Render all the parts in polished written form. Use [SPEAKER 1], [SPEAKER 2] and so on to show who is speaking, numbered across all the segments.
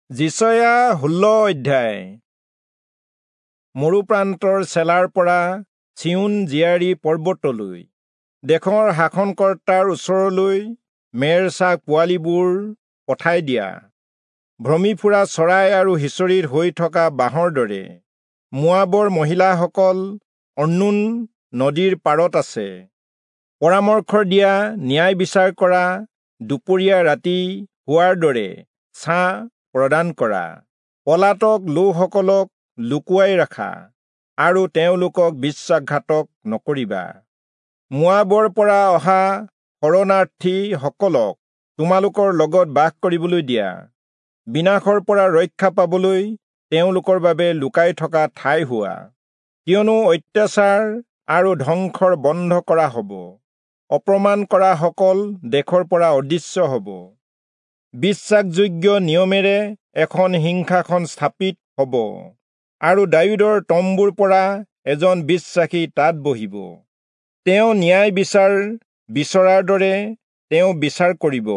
[SPEAKER 1] যিচয়া 16 অধ্যায়। মৰুপ্ৰান্তৰ চেলাৰ পৰা চিয়োন জীয়াৰী পৰ্বতলৈ, দেশৰ শাসনকৰ্তাৰ ওচৰলৈ মেৰ-ছাগ পোৱালিবোৰ পঠাই দিয়া। ভ্ৰমি ফুৰা চৰাই আৰু সিঁচৰিত হৈ থকা বাঁহৰ দৰে মোৱাবৰ মহিলাসকল অৰ্ণোন নদীৰ পাৰত আছে। পৰামৰ্শ দিয়া, ন্যায় বিচাৰ কৰা, দুপৰীয়া ৰাতি হোৱাৰ দৰে ছাঁ প্ৰদান কৰা। পলাতক লোকসকলক লুকুৱাই ৰাখা আৰু তেওঁলোকক বিশ্বাসঘাতক নকৰিবা। মোৱাবৰ পৰা অহা শৰণাৰ্থীসকলক তোমালোকৰ লগত বাস কৰিবলৈ দিয়া। বিনাশৰ পৰা ৰক্ষা পাবলৈ তেওঁলোকৰ বাবে লুকাই থকা ঠাই হোৱা। কিয়নো অত্যাচাৰ আৰু ধ্বংসৰ বন্ধ কৰা হ'ব, অপমান কৰাসকল দেশৰ পৰা অদৃশ্য হ'ব। বিশ্বাসযোগ্য নিয়মেৰে এখন সিংহাসন স্থাপিত হ'ব আৰু দায়ূদৰ তম্বুৰ পৰা এজন বিশ্বাসী তাত বহিব। তেওঁ ন্যায় বিচাৰ বিচৰাৰ দৰে তেওঁ বিচাৰ কৰিব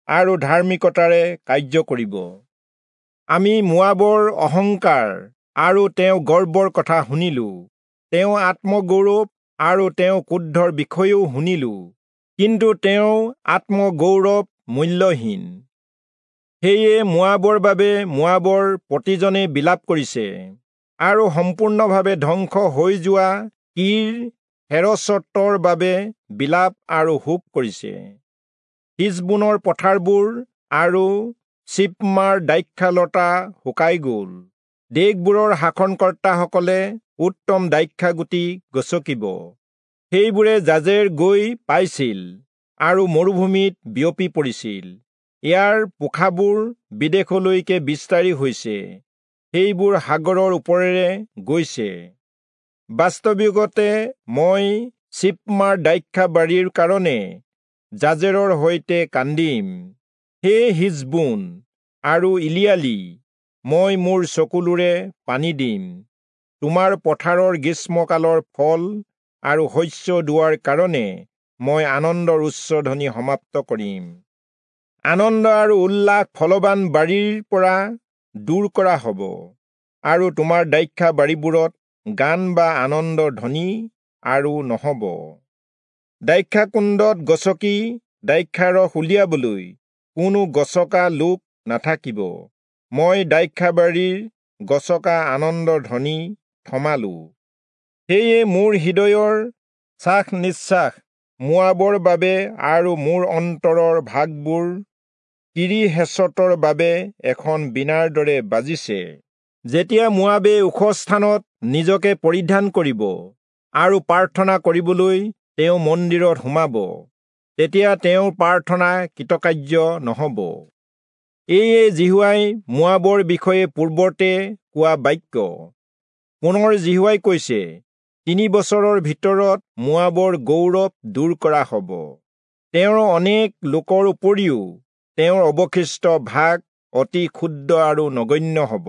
[SPEAKER 1] আৰু ধাৰ্মিকতাৰে কাৰ্য কৰিব। আমি মোৱাবৰ অহংকাৰ আৰু তেওঁ গৰ্বৰ কথা শুনিলো, তেওঁ আত্মগৌৰৱ আৰু তেওঁ ক্ৰোধৰ বিষয়েও শুনিলো, কিন্তু তেওঁ আত্মগৌৰৱ মূল্যহীন। সেয়ে মোৱাবৰ বাবে মোৱাবৰ প্ৰতিজনে বিলাপ কৰিছে আৰু সম্পূৰ্ণভাৱে ধ্বংস হৈ যোৱা কীৰ হেৰচতৰ বাবে বিলাপ আৰু শোক কৰিছে। হিচবোনৰ পথাৰবোৰ আৰু চিপমাৰ দ্ৰাক্ষালতা শুকাই গ'ল। দেশবোৰৰ শাসনকৰ্তাসকলে উত্তম দ্ৰাক্ষাগুটি গচকিব। সেইবোৰে জাজেৰ গৈ পাইছিল আৰু মৰুভূমিত বিয়পি পৰিছিল। ইয়াৰ পোখাবোৰ বিদেশলৈকে বিস্তাৰি হৈছে, সেইবোৰ সাগৰৰ ওপৰেৰে গৈছে। বাস্তৱিকতে মই চিপমাৰ দ্ৰাক্ষাবাৰীৰ কাৰণে জাজেৰৰ সৈতে কান্দিম। হে হিচবোন আৰু ইলিয়ালি, মই মোৰ চকুলোৰে পানী দিম। তোমাৰ পথাৰৰ গ্ৰীষ্মকালৰ ফল আৰু শস্য দোৱাৰ কাৰণে মই আনন্দৰ উচ্চধ্বনি সমাপ্ত কৰিম। আনন্দ আৰু উল্লাস ফলৱান বাৰীৰ পৰা দূৰ কৰা হ'ব আৰু তোমাৰ দ্ৰাক্ষা বাৰীবোৰত গান বা আনন্দৰ ধ্বনি আৰু নহ'ব। দ্ৰাক্ষাকুণ্ডত গচকি দ্ৰাক্ষাৰস উলিয়াবলৈ কোনো গচকা লোক নাথাকিব। মই দ্ৰাক্ষাবাৰীৰ গচকা আনন্দৰ ধ্বনি থমালো। সেয়ে মোৰ হৃদয়ৰ শ্বাস নিশ্বাস মোৱাবৰ বাবে আৰু মোৰ অন্তৰৰ ভাগবোৰ কিৰিহেচতৰ বাবে এখন বীণাৰ দৰে বাজিছে। যেতিয়া মোৱাবে ওখ স্থানত নিজকে পৰিধান কৰিব আৰু প্ৰাৰ্থনা কৰিবলৈ তেওঁ মন্দিৰত সোমাব, তেতিয়া তেওঁৰ প্ৰাৰ্থনা কৃতকাৰ্য নহ'ব। এয়ে যিহোৱাই মোৱাবৰ বিষয়ে পূৰ্বতে কোৱা বাক্য। পুনৰ যিহোৱাই কৈছে, 3 বছৰৰ ভিতৰত মোৱাবৰ গৌৰৱ দূৰ কৰা হ'ব। তেওঁৰ অনেক লোকৰ উপৰিও তেওঁৰ অৱশিষ্ট ভাগ অতি ক্ষুদ্ৰ আৰু নগণ্য হ'ব।